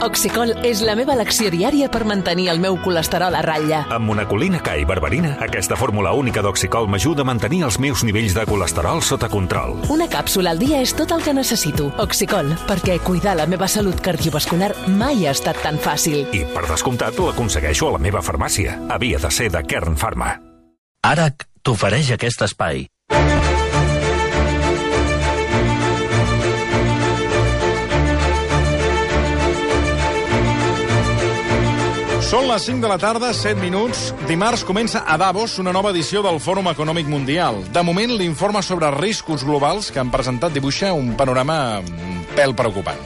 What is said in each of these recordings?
Oxicol és la meva elecció diària per mantenir el meu colesterol a ratlla. Amb monacolina K i berberina, aquesta fórmula única d'Oxicol m'ajuda a mantenir els meus nivells de colesterol sota control. Una càpsula al dia és tot el que necessito. Oxicol, perquè cuidar la meva salut cardiovascular mai ha estat tan fàcil. I, per descomptat, l'aconsegueixo a la meva farmàcia. Havia de ser de Kern Pharma. ARAC t'ofereix aquest espai. Són les 5 de la tarda, 7 minuts. Dimarts comença a Davos una nova edició del Fòrum Econòmic Mundial. De moment, l'informe sobre riscos globals que han presentat dibuixa un panorama pèl preocupant.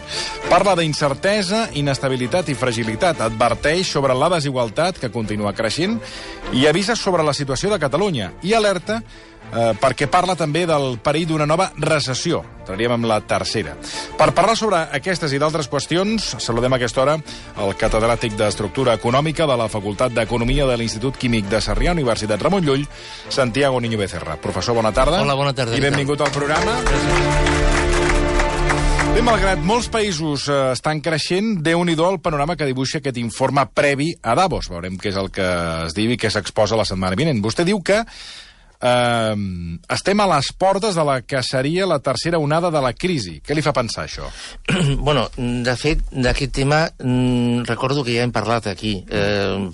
Parla d'incertesa, inestabilitat i fragilitat. Adverteix sobre la desigualtat, que continua creixent, i avisa sobre la situació de Catalunya. I alerta perquè parla també del perill d'una nova recessió. Entraríem amb la tercera. Per parlar sobre aquestes i d'altres qüestions, saludem a aquesta hora el catedràtic d'Estructura Econòmica de la Facultat d'Economia de l'Institut Químic de Sarrià, Universitat Ramon Llull, Santiago Niño Becerra. Professor, bona tarda. Hola, bona tarda. I benvingut al programa. Bé, malgrat molts països estan creixent, Déu-n'hi-do el panorama que dibuixa aquest informe previ a Davos. Veurem què és el que es diu i què s'exposa la setmana vinent. Vostè diu que estem a les portes de la que seria la tercera onada de la crisi. Què li fa pensar això? Bueno, de fet, d'aquest tema recordo que ja hem parlat aquí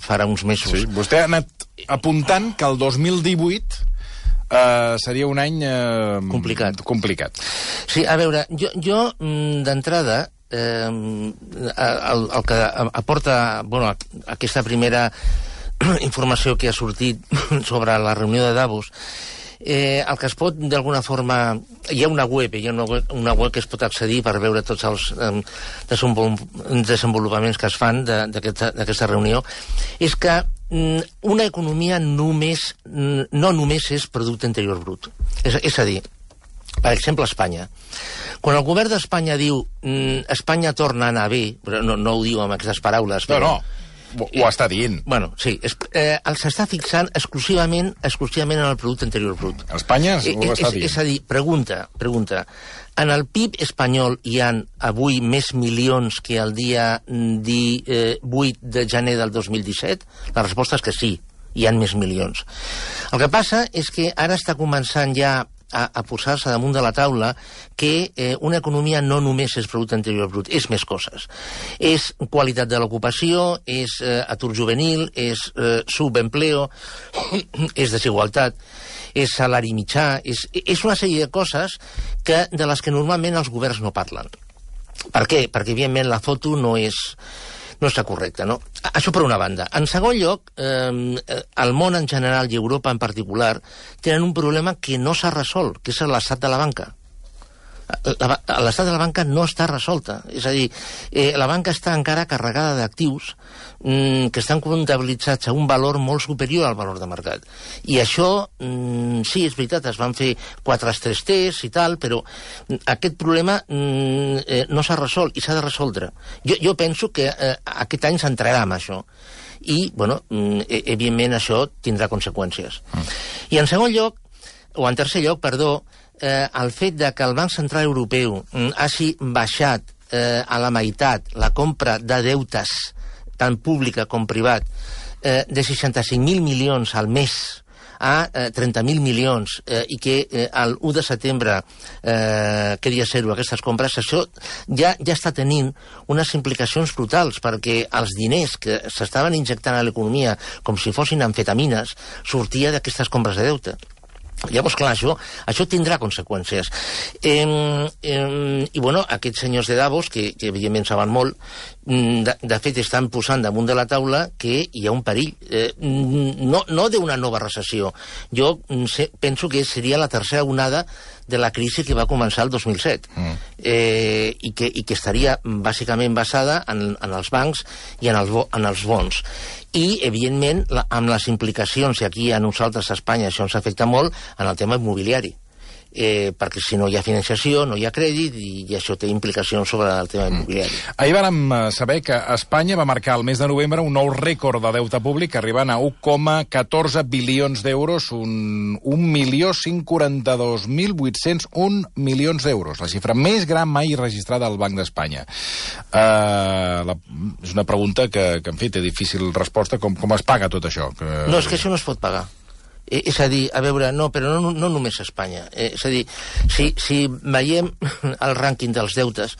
farà uns mesos. Sí, vostè ha anat apuntant que el 2018 seria un any complicat. Sí, a veure, jo d'entrada el que aporta aquesta primera informació que ha sortit sobre la reunió de Davos, el que es pot, d'alguna forma... Hi ha una web que es pot accedir per veure tots els desenvolupaments que es fan d'aquesta reunió, és que una economia no només és producte interior brut. És a dir, per exemple, Espanya. Quan el govern d'Espanya diu Espanya torna a anar bé, però no ho diu amb aquestes paraules... No. Ho està dient. Bueno, sí, s'està fixant exclusivament en el producte interior brut. Espanya ho està dient. És a dir, pregunta, en el PIB espanyol hi ha avui més milions que el dia 8 de gener del 2017? La resposta és que sí, hi ha més milions. El que passa és que ara està començant ja a posar-se damunt de la taula que una economia no només és producte interior brut, és més coses. És qualitat de l'ocupació, és atur juvenil, és subempleo, és desigualtat, és salari mitjà, és una sèrie de coses de les que normalment els governs no parlen. Per què? Perquè, evidentment, la foto no està correcta, no? Això per una banda. En segon lloc, el món en general i Europa en particular tenen un problema que no s'ha resolt, que és l'estat de la banca. L'estat de la banca no està resolta. És a dir, la banca està encara carregada d'actius que estan comptabilitzats a un valor molt superior al valor de mercat. I això, sí, és veritat, es van fer 4 stress tests i tal, però aquest problema no s'ha resolt i s'ha de resoldre. Jo penso que aquest any s'entrarà amb això. I, bueno, evidentment això tindrà conseqüències. I en tercer lloc, el fet de que el Banc Central Europeu hagi baixat a la meitat la compra de deutes, tant pública com privat, de 65.000 milions al mes a 30.000 milions i que el 1 de setembre queria zero aquestes compres, això ja està tenint unes implicacions brutals, perquè els diners que s'estaven injectant a l'economia com si fossin amfetamines sortia d'aquestes compres de deute. Llavors, clar, això tindrà conseqüències. I, bueno, aquests senyors de Davos, que evidentment saben molt, de fet estan posant damunt de la taula que hi ha un perill. No d'una nova recessió. Jo penso que seria la tercera onada de la crisi que va començar el 2007 i que estaria bàsicament basada en els bancs i en els bons. I, evidentment, amb les implicacions, i aquí a nosaltres a Espanya això ens afecta molt, en el tema immobiliari. Perquè si no hi ha financiació, no hi ha crèdit, i això té implicacions sobre el tema immobiliari. Ahir vàrem saber que Espanya va marcar el mes de novembre un nou rècord de deute públic, arribant a 1,14 bilions d'euros, 1.142.801 milions d'euros, la xifra més gran mai registrada al Banc d'Espanya. és una pregunta que en fi, té difícil resposta. Com es paga tot això? No, és que això no es pot pagar. És a dir, a veure, no, però no només a Espanya. És a dir, si veiem el rànquing dels deutes,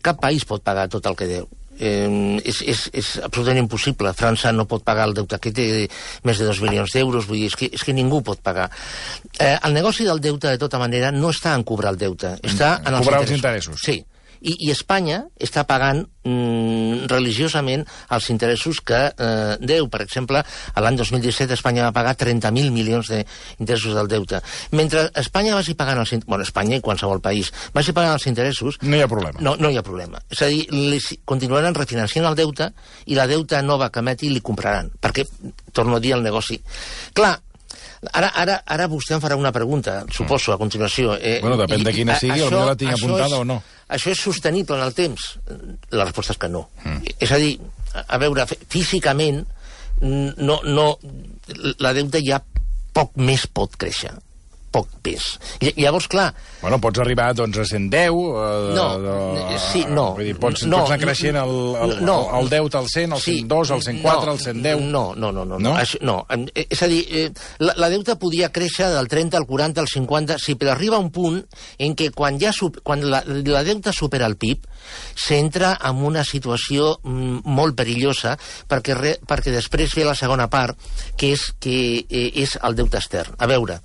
cap país pot pagar tot el que deu. És absolutament impossible. França no pot pagar el deute que té més de 2 milions d'euros, vull dir, és que ningú pot pagar. El negoci del deute, de tota manera, no està en cobrar el deute, està en els interessos. Sí. I Espanya està pagant religiosament els interessos que deu. Per exemple, l'any 2017 Espanya va pagar 30.000 milions d'interessos del deute. Mentre Espanya vagi pagant Espanya i qualsevol país vagi pagant els interessos... No hi ha problema. No hi ha problema. És a dir, continuaran refinanciant el deute i la deuta nova que emeti li compraran. Perquè, torno a dir, el negoci... Clar, Ara vostè em farà una pregunta, suposo, a continuació. Bueno, depèn de quina sigui, potser la tinc apuntada o no. Això és sostenible en el temps? La resposta és que no. És a dir, a veure, físicament, la deuta ja poc més pot créixer. Poc pes. Llavors, clar... Bueno, pots arribar, doncs, a 110... No. Vull dir, pots anar creixent el deute al 100, al 102, al 104, al 110... No. És a dir, la deuta podia créixer del 30 al 40 al 50, sí, però arriba un punt en què quan la deuta supera el PIB, s'entra en una situació molt perillosa, perquè després ve la segona part, que és el deute extern. A veure...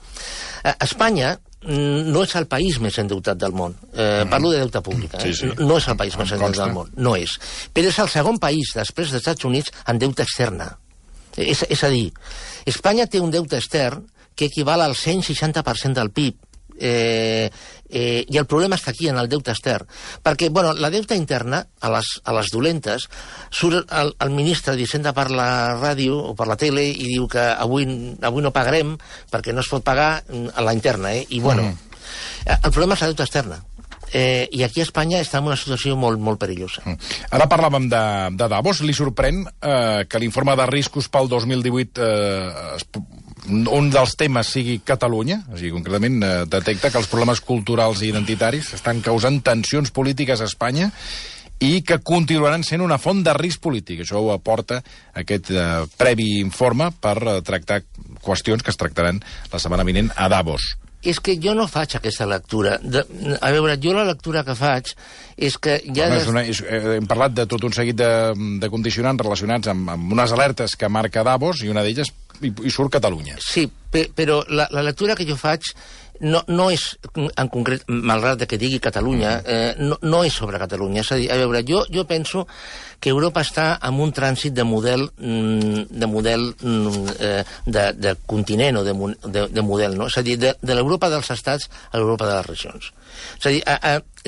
Espanya no és el país més endeutat del món. Parlo de deute públic. Sí. No és el país més endeutat del món. No és. Però és el segon país, després dels Estats Units, en deute externa. És a dir, Espanya té un deute extern que equival al 160% del PIB. I el problema està aquí, en el deute extern. Perquè, bueno, la deuta interna, a les dolentes, surt el ministre d'Hisenda per la ràdio o per la tele i diu que avui no pagarem perquè no es pot pagar a la interna, I, bueno, el problema és la deuta externa. I aquí a Espanya està en una situació molt, molt perillosa. Ara parlàvem de Davos. Li sorprèn que l'informe de riscos pel 2018 un dels temes sigui Catalunya? O sigui, concretament, detecta que els problemes culturals i identitaris estan causant tensions polítiques a Espanya i que continuaran sent una font de risc polític. Això ho aporta aquest previ informe per tractar qüestions que es tractaran la setmana vinent a Davos. És que jo no faig aquesta lectura. A veure, jo la lectura que faig és que ja... Hem parlat de tot un seguit de condicionants relacionats amb unes alertes que marca Davos, i una d'elles hi surt Catalunya. Sí, però la lectura que jo faig no és, en concret, malgrat que digui Catalunya, no és sobre Catalunya. És a dir, a veure, jo penso que Europa està en un trànsit de model de continent o de model, no? És a dir, de l'Europa dels estats a l'Europa de les regions. És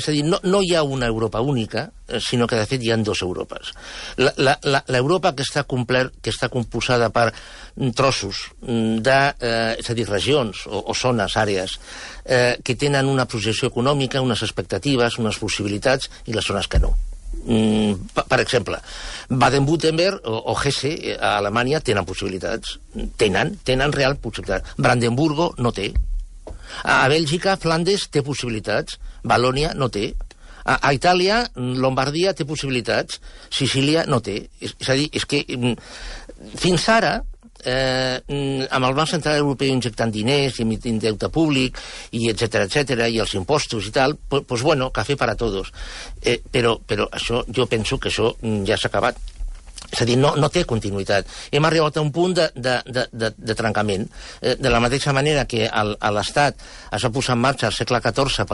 a dir, no hi ha una Europa única, sinó que, de fet, hi ha dues Europes. L'Europa que està composada per trossos és a dir, regions o zones, àrees, que tenen una projecció econòmica, unes expectatives, unes possibilitats, i les zones que no. Per exemple, Baden-Württemberg o Hesse a Alemanya tenen possibilitats, tenen real possibilitats. Brandenburgo no té. A Bèlgica, Flandes té possibilitats, Valònia no té. A Itàlia, Lombardia té possibilitats, Sicília no té. És a dir, és que fins ara, amb el Banc Central Europeu injectant diners i emitint deute públic i etcètera, i els impostos i tal, pues bueno, café para todos. Però això, jo penso que això ja s'ha acabat. És a dir, no té continuïtat. Hem arribat a un punt de trencament. De la mateixa manera que l'Estat es va posar en marxa al segle XIV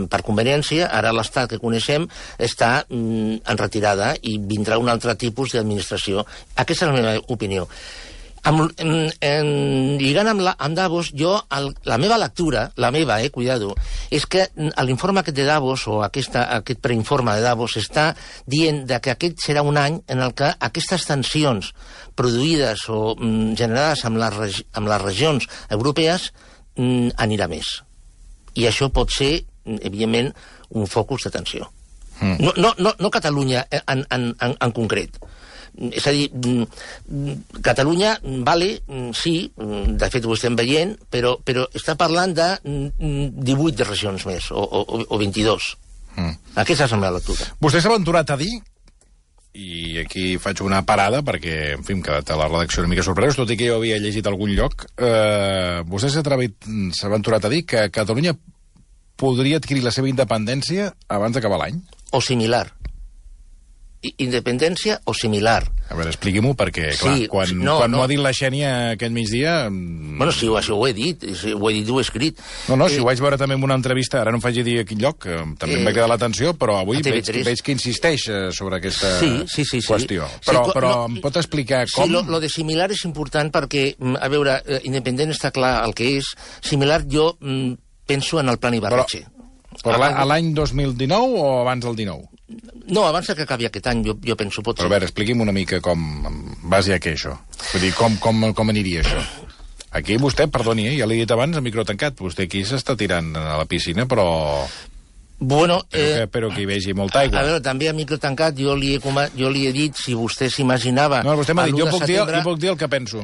per conveniència, ara l'Estat que coneixem està en retirada i vindrà un altre tipus d'administració. Aquesta és la meva opinió. Lligant amb Davos, la meva lectura, cuidado, és que l'informe aquest de Davos, o aquest preinforme de Davos, està dient que aquest serà un any en el que aquestes tensions produïdes o generades amb les regions europees anirà més. I això pot ser, evidentment, un focus de tensió. No Catalunya en concret. És a dir, Catalunya, sí, de fet ho estem veient, però està parlant de 18 regions més, o 22. Aquesta és la meva lectura. Vostè s'ha aventurat a dir i aquí faig una parada perquè, en fi, hem quedat a la redacció una mica sorpresos, tot i que jo havia llegit a algun lloc. Vostè s'ha aventurat a dir que Catalunya podria adquirir la seva independència abans d'acabar l'any? O similar. Independència o similar. A veure, expliqui-m'ho, perquè, clar, Sí, quan no. m'ho ha dit la Xènia aquest migdia... Bueno, sí, això ho he dit, ho he dit i ho he escrit. No, si ho vaig veure també en una entrevista, ara no em faig dir a quin lloc, que també em va quedar l'atenció, però avui veig que insisteix sobre aquesta qüestió. Però em pot explicar com? Sí, lo de similar és important perquè, a veure, independent està clar el que és. Similar, jo penso en el plan Ibarretxe. Però a l'any 2019 o abans del 19? No, abans que acabi aquest any, jo penso, pot ser. Però a veure, expliqui'm una mica com, en base a què, això? Vull dir, com aniria això? Aquí vostè, perdoni, ja l'he dit abans, a micro tancat, vostè aquí s'està tirant a la piscina, però... Bueno, però que hi vegi molta aigua. A veure, també a micro tancat jo li he dit si vostè s'imaginava... No, vostè m'ha dit, jo puc dir el que penso.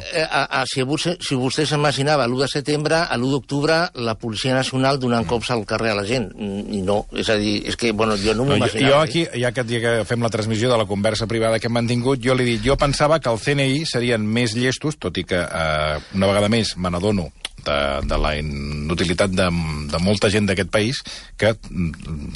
Si vostè s'imaginava l'1 de setembre, a l'1 d'octubre, la Policia Nacional donant cops al carrer a la gent. I no, és a dir, és que, bueno, jo no m'imaginava. Jo aquí, ja que fem la transmissió de la conversa privada que hem mantingut, jo li he dit, jo pensava que el CNI serien més llestos, tot i que una vegada més me n'adono de la inutilitat de molta gent d'aquest país, que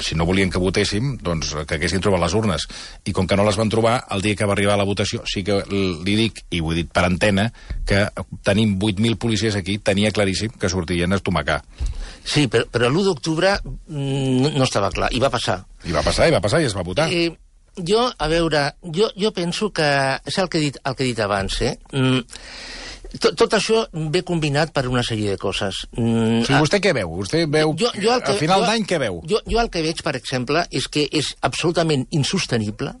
si no volien que votéssim, doncs que haguessin trobat les urnes. I com que no les van trobar, el dia que va arribar la votació, sí que li dic, i ho he dit per antena, que tenim 8.000 policies aquí, tenia claríssim que sortirien a estomacar. Sí, però l'1 d'octubre no estava clar, i va passar. I va passar i es va votar. Jo, a veure, jo penso que... És el que he dit abans, Tot això ve combinat per una sèrie de coses. Sí, vostè què veu? Vostè veu... A final d'any què veu? Jo el que veig, per exemple, és que és absolutament insostenible,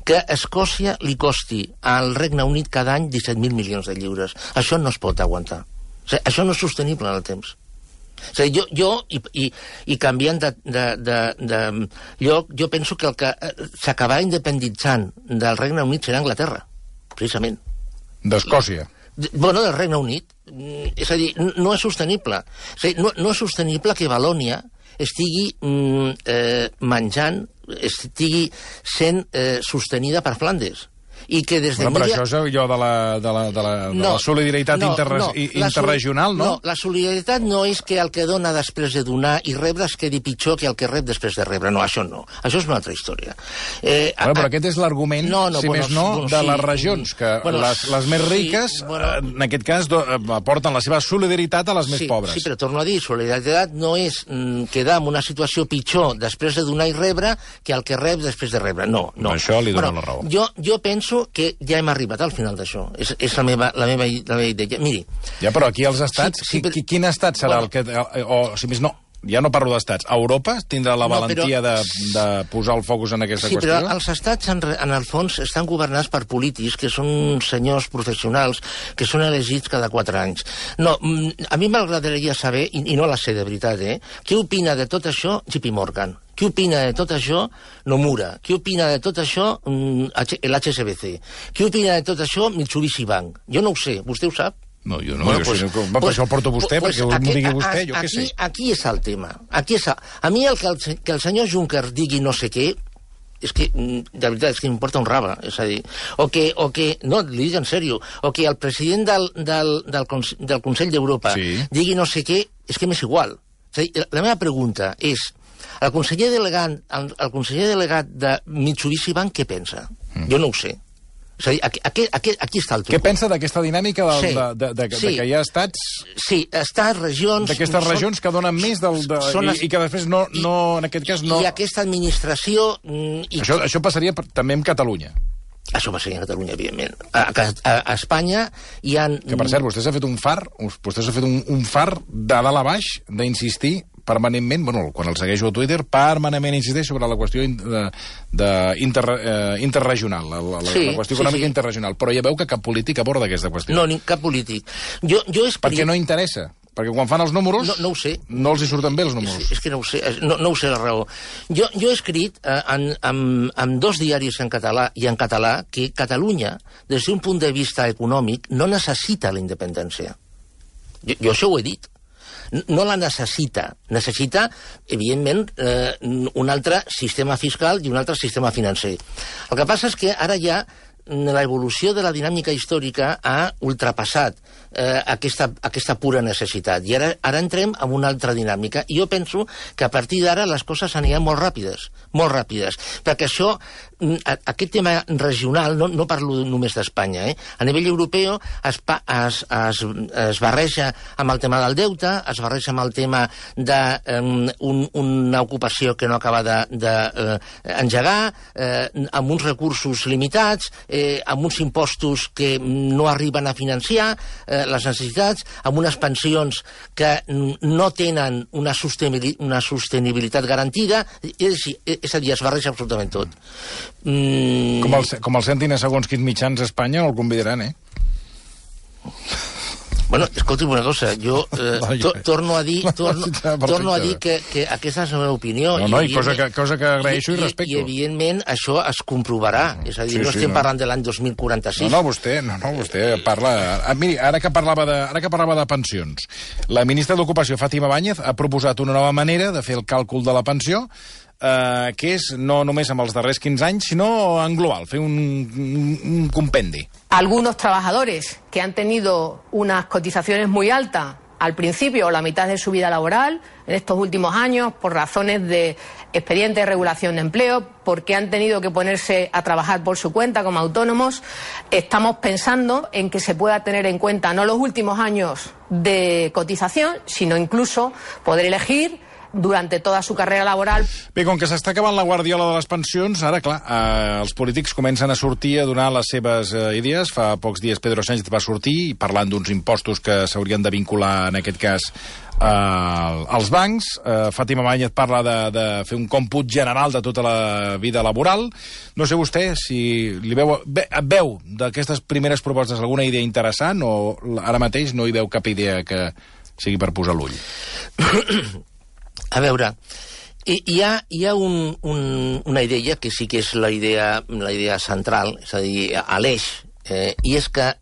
que a Escòcia li costi al Regne Unit cada any 17.000 milions de lliures. Això no es pot aguantar. O sigui, això no és sostenible en el temps. O sigui, jo canviant de lloc, jo penso que el que s'acabarà independitzant del Regne Unit serà Anglaterra, precisament. D'Escòcia. Bueno, del Regne Unit. És a dir, no és sostenible. És a dir, no és sostenible que Valònia estigui menjant, estigui sent sostenida per Flandes. I que des de... Però això és allò de la solidaritat interregional, no? No, la solidaritat no és que el que dona després de donar i rebre es quedi pitjor que el que rep després de rebre. No, això no. Això és una altra història. Però aquest és l'argument, si més no, de les regions, que les més riques, en aquest cas, aporten la seva solidaritat a les més pobres. Sí, però torno a dir, solidaritat no és quedar en una situació pitjor després de donar i rebre que el que rep després de rebre. No. Això li dona la raó. Jo penso que ja hem arribat al final d'això. És la meva idea. Miri... Ja, però aquí als estats, quin estat serà el que... O, si més no, ja no parlo d'estats. Europa tindrà la valentia de posar el focus en aquesta qüestió? Sí, però els estats, en el fons, estan governats per polítics que són senyors professionals que són elegits cada 4 anys. No, a mi m'agradaria saber, i no la sé de veritat, què opina de tot això JP Morgan? Què opina de tot això Nomura? Què opina de tot això l'HSBC? Què opina de tot això Mitsubishi Bank? Jo no ho sé, vostè ho sap? No, jo no, per això el porto vostè, perquè m'ho digui vostè, jo què sé. Aquí és el tema. A mi que el senyor Juncker digui no sé què, és que, de veritat, és que m'importa un rave, és a dir, o que no, li dic en sèrio, o que el president del Consell d'Europa digui no sé què, és que m'és igual. És a dir, la meva pregunta és, el conseller delegat de Mitsubishi Bank què pensa? Jo no ho sé. És a dir, aquí està el truc. Què pensa d'aquesta dinàmica que hi ha estats... Sí, estats, regions... D'aquestes regions que donen més i que després no, en aquest cas no... I aquesta administració... Això passaria també amb Catalunya. Això passaria a Catalunya, evidentment. A Espanya hi ha... Que, per cert, vostè s'ha fet un far de dalt a baix d'insistir permanentment, bueno, quan el segueixo a Twitter, permanentment insisteix sobre la qüestió interregional, la qüestió econòmica interregional. Però ja veu que cap polític aborda aquesta qüestió. No, ni cap polític. Perquè no interessa. Perquè quan fan els números, no ho sé. No els hi surten bé els números. És que no ho sé, no ho sé la raó. Jo he escrit en 2 diaris en català i en català que Catalunya, des d'un punt de vista econòmic, no necessita la independència. Jo això ho he dit. No la necessita. Necessita, evidentment, un altre sistema fiscal i un altre sistema financer. El que passa és que ara ja l'evolució de la dinàmica històrica ha ultrapassat aquesta pura necessitat. I ara entrem en una altra dinàmica. I jo penso que a partir d'ara les coses aniran molt ràpides, perquè això, aquest tema regional, no parlo només d'Espanya, a nivell europeu es barreja amb el tema del deute, es barreja amb el tema d'una ocupació que no acaba d'engegar, amb uns recursos limitats, amb uns impostos que no arriben a financiar les necessitats, amb unes pensions que no tenen una sostenibilitat garantida, és a dir, es barreja absolutament tot. Com el sentin a segons quins mitjans a Espanya, no el convidaran, Bueno, escolti'm una cosa, jo torno a dir que aquesta és la meva opinió. No, i cosa que agraeixo i respecto. I evidentment això es comprovarà, és a dir, no estem parlant de l'any 2046. No, vostè parla... Miri, ara que parlava de pensions, la ministra d'Ocupació, Fátima Báñez, ha proposat una nova manera de fer el càlcul de la pensió, que és no només amb els darrers 15 anys, sinó en global, fer un compendi. Algunos trabajadores que han tenido unas cotizaciones muy altas al principio o la mitad de su vida laboral, en estos últimos años, por razones de expediente de regulación de empleo, porque han tenido que ponerse a trabajar por su cuenta como autónomos, estamos pensando en que se pueda tener en cuenta no los últimos años de cotización, sino incluso poder elegir durante toda su carrera laboral. Bé, com que s'està acabant la guardiola de les pensions, ara, clar, els polítics comencen a sortir a donar les seves idees. Fa pocs dies Pedro Sánchez va sortir parlant d'uns impostos que s'haurien de vincular, en aquest cas, als bancs. Fátima Báñez parla de fer un còmput general de tota la vida laboral. No sé vostè si veu d'aquestes primeres propostes alguna idea interessant o ara mateix no hi veu cap idea que sigui per posar l'ull. A veure, hi ha una idea que sí que és la idea central, és a dir, a l'eix, i és que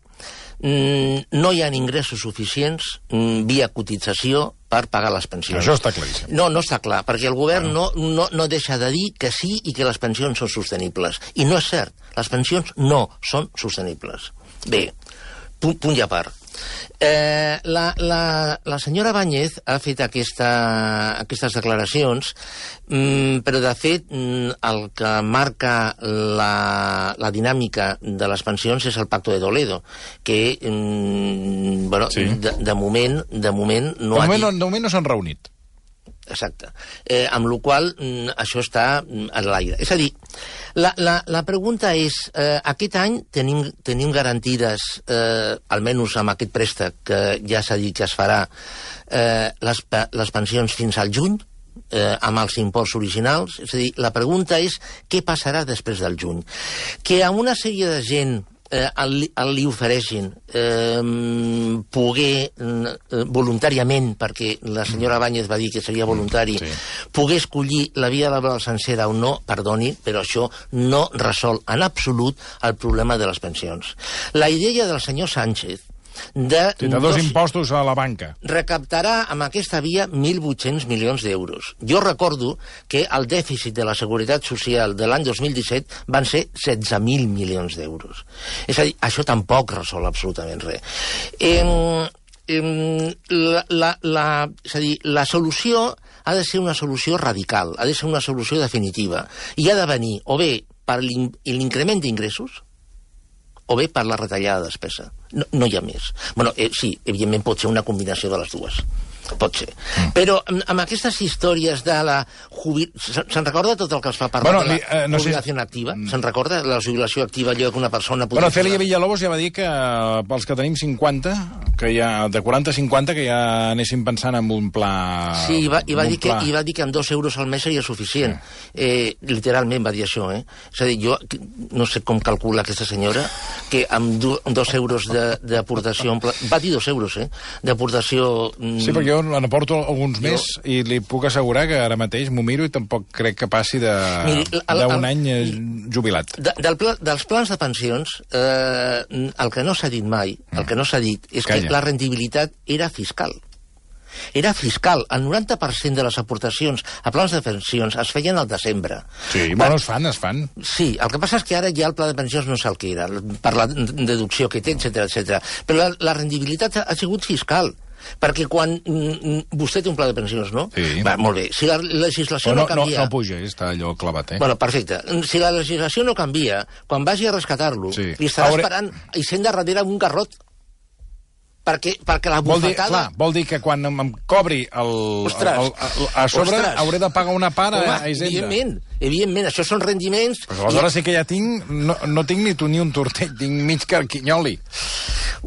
no hi ha ingressos suficients via cotització per pagar les pensions. Això està claríssim. No està clar, perquè el govern no deixa de dir que sí i que les pensions són sostenibles. I no és cert, les pensions no són sostenibles. Bé, punt i a part. La senyora Báñez ha fet aquestes declaracions, però de fet el que marca la dinàmica de les pensions és el Pacto de Toledo, que de moment no ha dit... De moment no s'han reunit. Exacte. Amb la qual cosa això està a l'aire. És a dir, la pregunta és, aquest any tenim garantides, almenys amb aquest préstec que ja s'ha dit que es farà, les pensions fins al juny, amb els imports originals? És a dir, la pregunta és què passarà després del juny? Que a una sèrie de gent li ofereixin poder voluntàriament, perquè la senyora Báñez va dir que seria voluntari, poder escollir la vida laboral sencera o no, perdoni, però això no resol en absolut el problema de les pensions. La idea del senyor Sánchez de dos impostos a la banca. Recaptarà amb aquesta via 1.800 milions d'euros. Jo recordo que el dèficit de la Seguretat Social de l'any 2017 van ser 16.000 milions d'euros. És a dir, això tampoc resol absolutament res. És a dir, la solució ha de ser una solució radical, ha de ser una solució definitiva, i ha de venir o bé per l'increment d'ingressos o bé per la retallada de despesa. No hi ha més. Bueno, sí, evidentment pot ser una combinació de les dues. Pot ser. Però amb aquestes històries de la se'n recorda tot el que es fa parlar de la jubilació activa? Se'n recorda la jubilació activa, allò que una persona... Cèlia Villalobos ja va dir que pels que tenim 50, que ja de 40 a 50, que ja anéssim pensant en un pla... Sí, i va dir que amb 2 euros al mes seria suficient. Literalment va dir això, És a dir, jo no sé com calcula aquesta senyora que amb 2 euros d'aportació... Va dir 2 euros, d'aportació... Sí, perquè jo n'aporto alguns més i li puc assegurar que ara mateix m'ho miro i tampoc crec que passi d'un any jubilat. Dels plans de pensions, el que no s'ha dit mai, el que no s'ha dit és que la rendibilitat era fiscal. era fiscal. El 90% de les aportacions a plans de pensions es feien al desembre. Sí, bueno, es fan. Sí, el que passa és que ara ja el pla de pensions no és el que era, per la deducció que té, etc. Però la rendibilitat ha sigut fiscal. Perquè quan vostè té un pla de pensions, no? Sí. Va, molt bé. Si la legislació no canvia... No puja, està allò clavat, Bueno, perfecte. Si la legislació no canvia, quan vagi a rescatar-lo, li estarà esperant i sent de darrere un garrot. Perquè la bufetada... Vol dir que quan em cobri a sobre hauré de pagar una part a Hisenda. Evidentment, això són rendiments... Però aleshores sí que ja tinc... No tinc ni un tortell, tinc mig carquinyoli.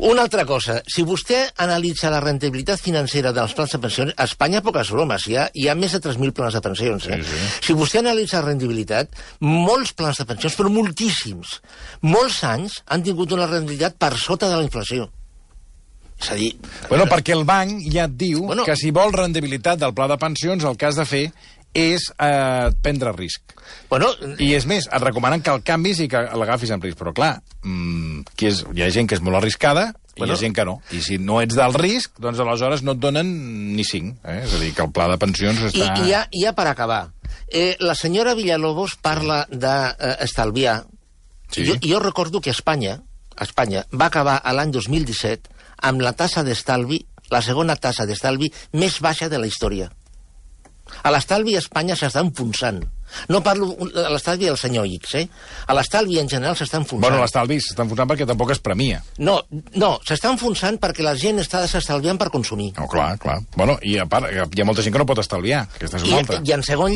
Una altra cosa, si vostè analitza la rendibilitat financera dels plans de pensions, a Espanya poques bromes, hi ha més de 3.000 plans de pensions. Sí. Si vostè analitza la rendibilitat, molts plans de pensions, però moltíssims, molts anys han tingut una rendibilitat per sota de la inflació. És a dir... Bueno, perquè el banc ja et diu que si vol rendibilitat del pla de pensions, el que has de fer és prendre risc. I és més, et recomanen que el canvis i que l'agafis en risc. Però clar, hi ha gent que és molt arriscada i hi ha gent que no. I si no ets del risc, doncs aleshores no et donen ni 5. És a dir, que el pla de pensions està... I ja per acabar, la senyora Villalobos parla d'estalviar. Sí. Jo recordo que Espanya va acabar l'any 2017 amb la tassa d'estalvi, la segona tassa d'estalvi més baixa de la història. A l'estalvi a Espanya s'està enfonsant. No parlo de l'estalvi del senyor X, A l'estalvi en general s'està enfonsant. Bueno, l'estalvi s'està enfonsant perquè tampoc es premia. No, s'està enfonsant perquè la gent està desestalviant per consumir. No, clar. Bueno, i a part, hi ha molta gent que no pot estalviar. Aquesta és una altra. I en segon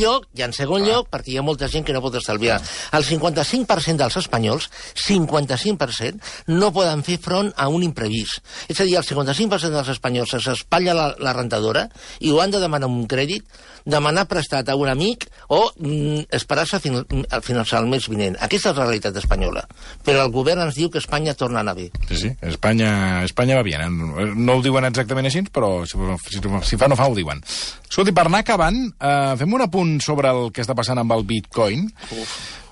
lloc, perquè hi ha molta gent que no pot estalviar. El 55% dels espanyols, 55%, no poden fer front a un imprevist. És a dir, el 55% dels espanyols s'espatlla la rentadora i ho han de demanar un crèdit, demanar prestat a un amic o esperar-se al finançar el mes vinent. Aquesta és la realitat espanyola. Però el govern ens diu que Espanya torna a anar bé. Sí, Espanya va bé. No ho diuen exactament així, però si fa no fa ho diuen. Escolti, per anar acabant, fem un apunt sobre el que està passant amb el Bitcoin.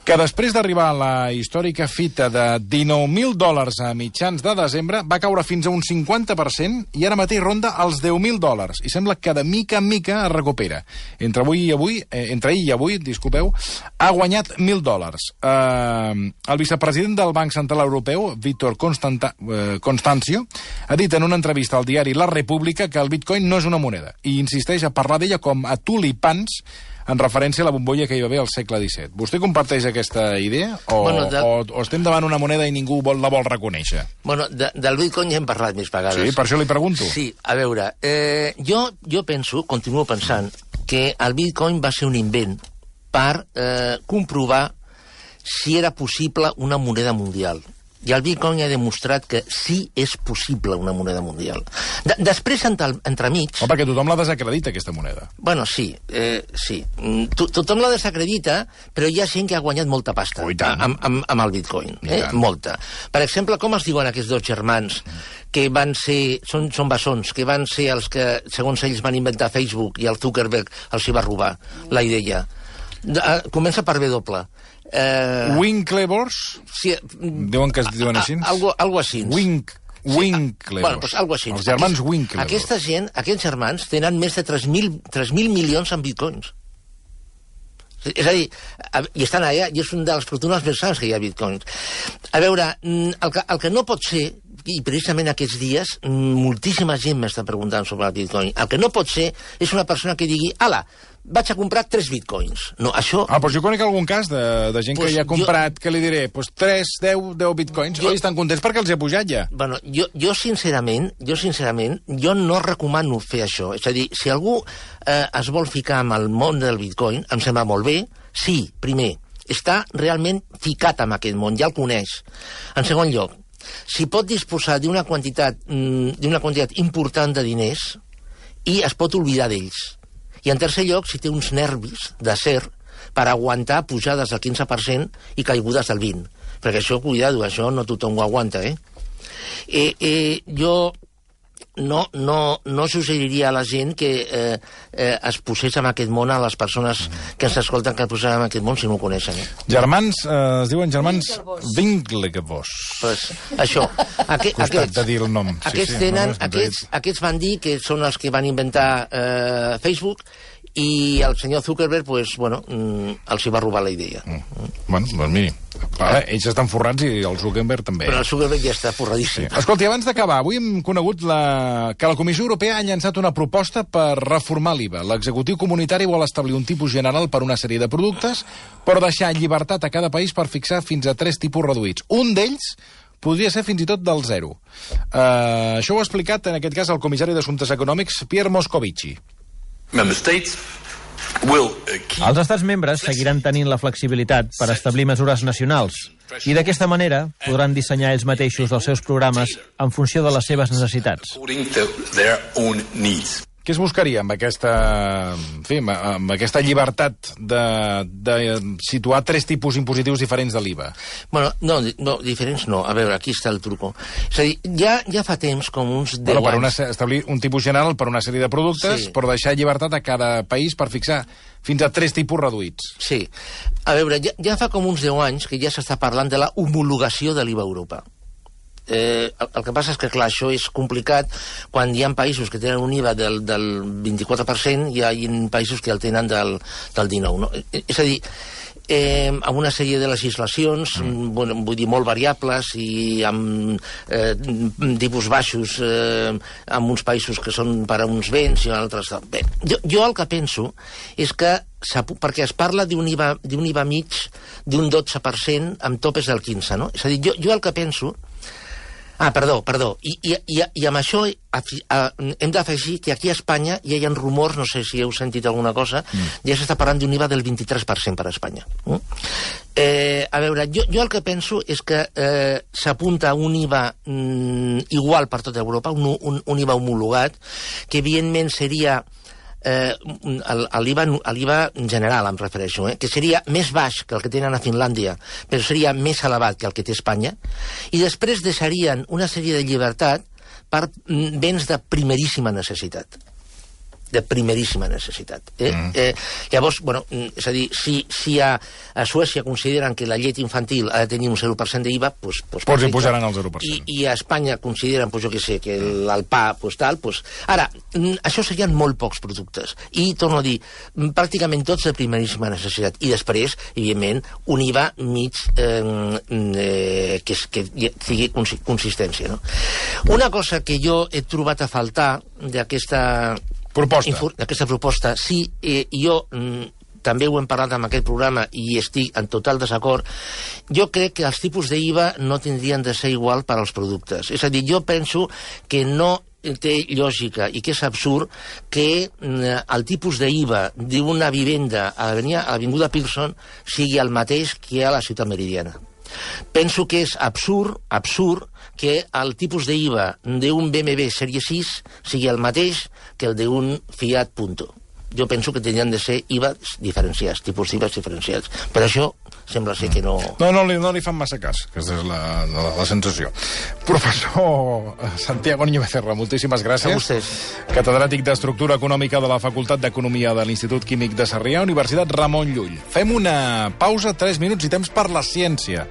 Que després d'arribar a la històrica fita de $19.000 a mitjans de desembre, va caure fins a un 50% i ara mateix ronda els $10.000. I sembla que de mica en mica es recupera. Entre ahir i avui, ha guanyat $1.000. El vicepresident del Banc Central Europeu, Vítor Constancio, ha dit en una entrevista al diari La República que el Bitcoin no és una moneda i insisteix a parlar d'ella com a tulipans en referència a la bombolla que hi va haver al segle XVII. Vostè comparteix aquesta idea? O estem davant una moneda i ningú la vol reconèixer? Bueno, del Bitcoin ja hem parlat més vegades. Sí, per això li pregunto. Sí, a veure, jo continuo pensant, que el Bitcoin va ser un invent per comprovar si era possible una moneda mundial. I el Bitcoin ha demostrat que sí és possible una moneda mundial. Després, entremig... perquè tothom la desacredita, aquesta moneda. Bueno, sí. Tothom la desacredita, però hi ha gent que ha guanyat molta pasta amb el Bitcoin. Molta. Per exemple, com es diuen aquests dos germans que van ser... Són bessons, que van ser els que, segons ells, van inventar Facebook i el Zuckerberg els hi va robar la idea. Comença per W. Winklevoss? Sí. Diuen que es diuen així? Algo així. Winklevoss. Bueno, pues algo així. Els germans Winklevoss. Aquesta gent, aquests germans, tenen més de 3.000 milions en bitcoins. És a dir, i estan allà, i és una de les fortunes més grans que hi ha bitcoins. A veure, el que no pot ser, i precisament aquests dies, moltíssima gent m'està preguntant sobre el bitcoin, el que no pot ser és una persona que digui, ala, vaig a comprar 3 bitcoins. No, això... Doncs jo conec algun cas de gent que ja ha comprat, que li diré, 3, 10 bitcoins, oi, estan contents perquè els he pujat ja. Bueno, jo sincerament, jo no recomano fer això. És a dir, si algú es vol ficar amb el món del bitcoin, em sembla molt bé, sí, primer, està realment ficat en aquest món, ja el coneix. En segon lloc, si pot disposar d'una quantitat important de diners i es pot oblidar d'ells. I en tercer lloc, si té uns nervis d'acer per aguantar pujades del 15% i caigudes del 20%. Perquè això, cuidado, això no tothom ho aguanta, Jo no suggeriria a la gent que es posés en aquest món, a les persones que ens escolten, que es posés en aquest món si no ho coneixen. Germans, es diuen germans Winklevoss. Pues, això. Costat de dir el nom. Aquests van dir que són els que van inventar Facebook, i el senyor Zuckerberg, els hi va robar la idea. Bueno, doncs miri, ells estan forrats i el Zuckerberg també. Però el Zuckerberg ja està forradíssim. Sí. Escolti, abans d'acabar, avui hem conegut que la Comissió Europea ha llançat una proposta per reformar l'IVA. L'executiu comunitari vol establir un tipus general per una sèrie de productes, però deixar llibertat a cada país per fixar fins a 3 tipus reduïts. Un d'ells podria ser fins i tot del 0. Això ho ha explicat, en aquest cas, el comissari d'Assumptes Econòmics, Pierre Moscovici. Els estats membres seguiran tenint la flexibilitat per establir mesures nacionals i d'aquesta manera podran dissenyar ells mateixos els seus programes en funció de les seves necessitats. Què es buscaria amb aquesta, amb aquesta llibertat de situar 3 tipus impositius diferents de l'IVA? Bueno, no, diferents no. A veure, aquí està el truco. És a dir, ja fa temps, com uns 10 anys... Establir un tipus general per una sèrie de productes, però deixar llibertat a cada país per fixar fins a 3 tipus reduïts. Sí. A veure, ja fa com uns 10 anys que ja s'està parlant de la homologació de l'IVA a Europa. El que passa és que, clar, això és complicat quan hi ha països que tenen un IVA del 24% i hi ha països que el tenen del 19%. No? És a dir, amb una sèrie de legislacions, vull dir, molt variables i amb tipus baixos en uns països que són per a uns béns i en altres... Bé, jo el que penso és que perquè es parla d'un IVA mig d'un 12% amb topes del 15%, no? És a dir, jo el que penso... Perdó. I amb això hem d'afegir que aquí a Espanya ja hi ha rumors, no sé si heu sentit alguna cosa, ja s'està parlant d'un IVA del 23% per a Espanya. A veure, jo el que penso és que s'apunta un IVA igual per tota Europa, un IVA homologat, que evidentment seria... l'IVA general em refereixo, que seria més baix que el que tenen a Finlàndia, però seria més elevat que el que té Espanya, i després deixarien una sèrie de llibertat per béns de primeríssima necessitat. Llavors, és a dir, si a Suècia consideren que la llet infantil ha de tenir un 0% d'IVA, doncs hi posaran el 0%. I a Espanya consideren, jo què sé, que el pa, tal... Ara, això serien molt pocs productes. I, torno a dir, pràcticament tots de primeríssima necessitat. I després, evidentment, un IVA mig que tingui consistència. Una cosa que jo he trobat a faltar d'aquesta proposta, sí, jo també ho hem parlat en aquest programa i estic en total desacord. Jo crec que els tipus d'IVA no tindrien de ser igual per als productes. És a dir, jo penso que no té lògica i que és absurd que el tipus d'IVA d'una vivenda a l'Avinguda Pearson sigui el mateix que a la Ciutat Meridiana. Penso que és absurd que el tipus d'IVA d'un BMW Sèrie 6 sigui el mateix que el d'un Fiat Punto. Jo penso que tindrien de ser IVAs diferenciats, tipus d'IVAs diferenciats. Per això sembla ser que no... No li fan massa cas, aquesta és la sensació. Professor Santiago Niño Becerra, moltíssimes gràcies. A vostès. Catedràtic d'Estructura Econòmica de la Facultat d'Economia de l'Institut Químic de Sarrià, Universitat Ramon Llull. Fem una pausa, 3 minuts i temps per la ciència,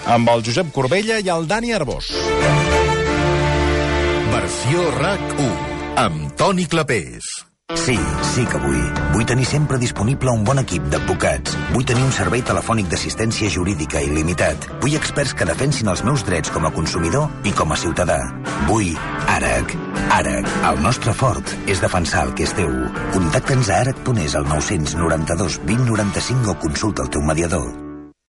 amb el Josep Corbella i el Dani Arbós. Versió RAC1, amb Toni Clapés. Sí que vull. Vull tenir sempre disponible un bon equip d'advocats. Vull tenir un servei telefònic d'assistència jurídica il·limitat. Vull experts que defensin els meus drets com a consumidor i com a ciutadà. Vull ARAC. ARAC. El nostre fort és defensar el que és teu. Contacta'ns a arac.es al 992 20 95 o consulta el teu mediador.